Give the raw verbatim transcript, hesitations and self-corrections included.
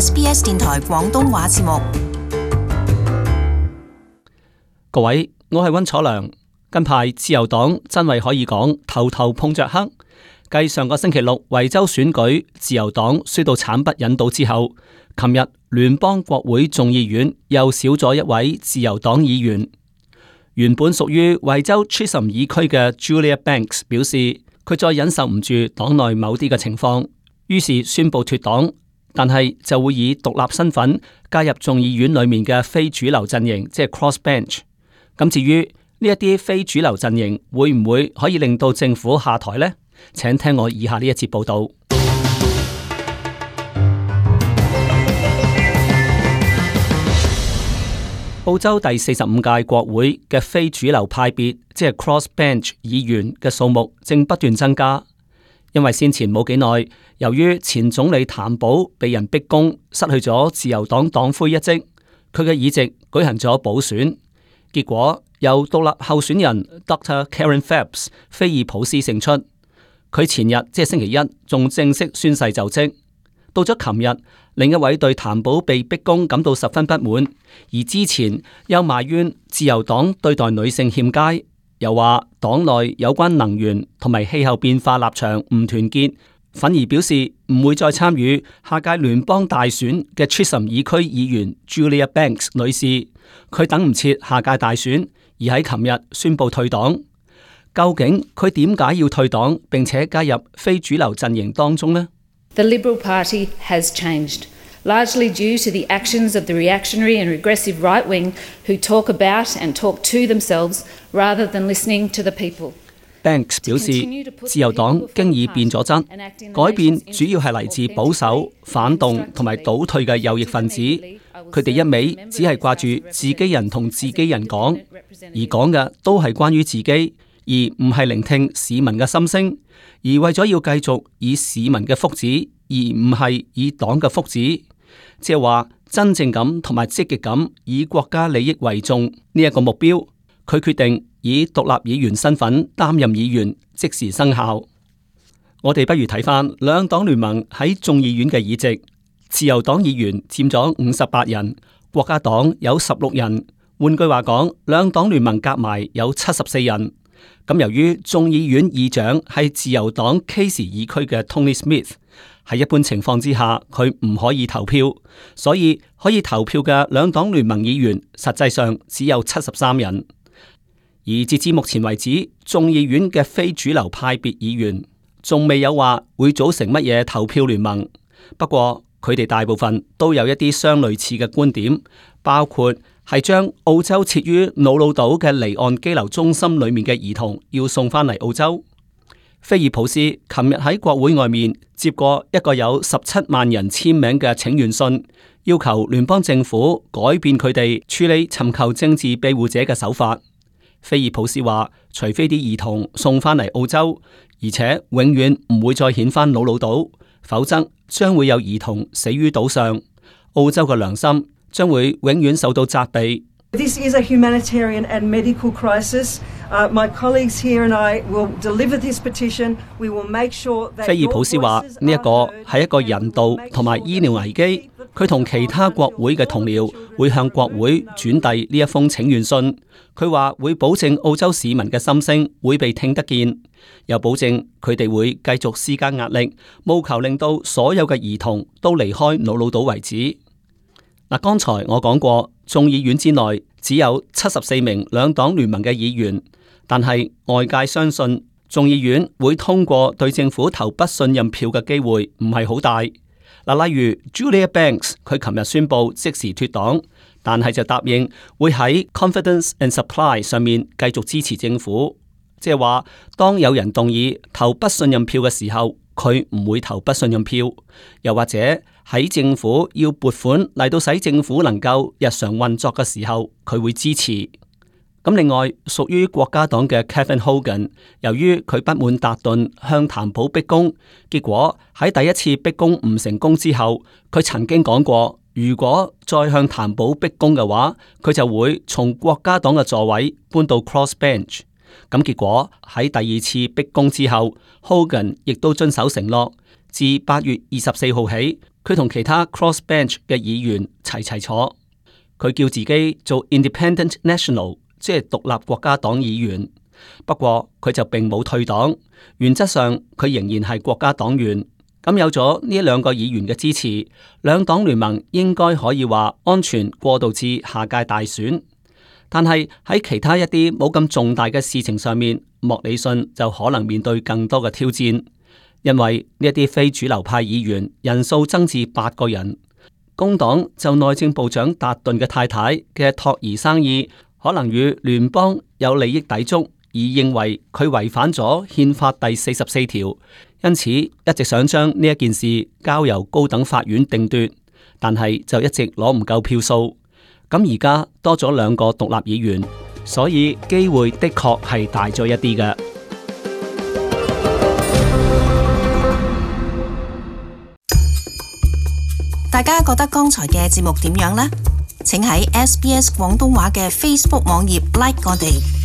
S B S 電台廣東話節目。各位，我係溫楚良。近排自由黨真係可以講頭頭碰着黑。繼上個星期六維州選舉自由黨輸到慘不忍睹之後，琴日聯邦國會眾議院又少咗一位自由黨議員。原本屬於維州 Chisholm 議區嘅 Julia Banks 表示，佢再忍受唔住黨內某啲嘅情況，於是宣布脫黨，但係就會以獨立身份加入眾議院裏面嘅非主流陣營，即係 Crossbench。咁至於呢一啲非主流陣營會唔會可以令到政府下台呢？請聽我以下呢一節報道。澳洲第四十五屆國會嘅非主流派別，即係 Crossbench 議員嘅數目正不斷增加，因為先前冇幾耐，由於前總理譚寶被人逼宮，失去咗自由黨黨魁一職，佢嘅議席舉行咗補選，結果由獨立候選人 Doctor Karen Phelps 菲爾普斯勝出。佢前日即係星期一仲正式宣誓就職。到咗琴日，另一位對譚寶被逼宮感到十分不滿，而之前又埋怨自由黨對待女性欠佳，又話黨內有關能源同埋氣候變化立場唔團結，反而表示唔會再參與下屆聯邦大選嘅 Chisholm 議區議員 Julia Banks 女士。佢等唔切下屆大選，而喺琴日宣布退黨。究竟佢點解要退黨，並且加入非主流陣營當中呢？ The Liberal Party has changed, largely due to the actions of the reactionary and regressive right wing who talk about and talk to themselves rather than listening to the people. Banks 表示，自由黨經已變咗質，改變主要係嚟自保守、反動同埋倒退嘅右翼分子。佢哋一味只係掛住自己人同自己人講，而講嘅都係關於自己，而唔係聆聽市民嘅心聲。而為咗要繼續以市民嘅福祉，而唔係以黨嘅福祉，即係話真正咁同埋積極咁以國家利益為重呢一個目標，佢決定以獨立議員身份擔任議員，即時生效。我哋不如睇翻兩黨聯盟喺眾議院嘅議席，自由黨議員佔咗五十八人，國家黨有十六人。換句話講，兩黨聯盟夾埋有七十四人。咁由於眾議院議長係自由黨 Casey 議區嘅 Tony Smith， 喺一般情況之下佢唔可以投票，所以可以投票嘅兩黨聯盟議員實際上只有七十三人。而截至目前為止，眾議院嘅非主流派別議員仲未有話會組成乜嘢投票聯盟。不過佢哋大部分都有一啲相類似嘅觀點，包括係將澳洲設於瑙魯島嘅離岸羈留中心裏面嘅兒童要送翻嚟澳洲。菲爾普斯琴日喺國會外面接過一個有十七萬人簽名嘅請願信，要求聯邦政府改變佢哋處理尋求政治庇護者嘅手法。菲爾普斯話，除非啲兒童送翻嚟澳洲，而且永遠唔會再遣返瑙魯島，否則將會有兒童死於島上，澳洲嘅良心將會永遠受到責備。This is a humanitarian and medical crisis. Uh, my colleagues here and I will deliver this petition. We will make sure that 菲爾普斯話呢一個係一個人道同埋醫療危機，佢同其他國會嘅同僚會向國會轉遞呢一封請願信。佢話會保證澳洲市民嘅心聲會被聽得見，又保證佢哋會繼續施加壓力，務求令到所有嘅兒童都離開瑙魯島為止。嗱，剛才我講過，眾議院之內只有七十四名兩黨聯盟嘅議員，但係外界相信眾議院會通過對政府投不信任票嘅機會唔係好大。嗱，例如 Julia Banks， 佢琴日宣布即時脫黨，但係就答應會喺 Confidence and Supply 上面繼續支持政府，即係話當有人動議投不信任票嘅時候，佢唔會投不信任票，又或者喺政府要撥款嚟到使政府能夠日常運作嘅時候，佢會支持。咁另外，屬於國家黨嘅 Kevin Hogan， 由於佢不滿達頓向譚寶逼宮，結果喺第一次逼宮唔成功之後，佢曾經講過，如果再向譚寶逼宮嘅話，佢就會從國家黨嘅座位搬到 Crossbench。咁結果喺第二次逼宮之後，Hogan 亦都遵守承諾，自八月二十四號起，佢同其他 crossbench 嘅議員齊齊坐。佢叫自己做 Independent National， 即係獨立國家黨議員。不過佢就並冇退黨，原則上佢仍然係國家黨員。咁有咗呢兩個議員嘅支持，兩黨聯盟應該可以話安全過渡至下屆大選。但係喺其他一啲冇咁重大嘅事情上面，莫里遜就可能面對更多嘅挑戰，因為呢一啲非主流派議員人數增至八個人。工黨就內政部長達頓嘅太太嘅托兒生意，可能與聯邦有利益抵觸，而認為佢違反咗憲法第四十四條，因此一直想將呢一件事交由高等法院定奪，但係就一直攞唔夠票數。咁而家多咗兩個獨立議員，所以機會的確係大咗一啲嘅。大家覺得剛才嘅節目點樣呢？請喺 S B S 廣東話嘅 Facebook 網頁 like 我哋。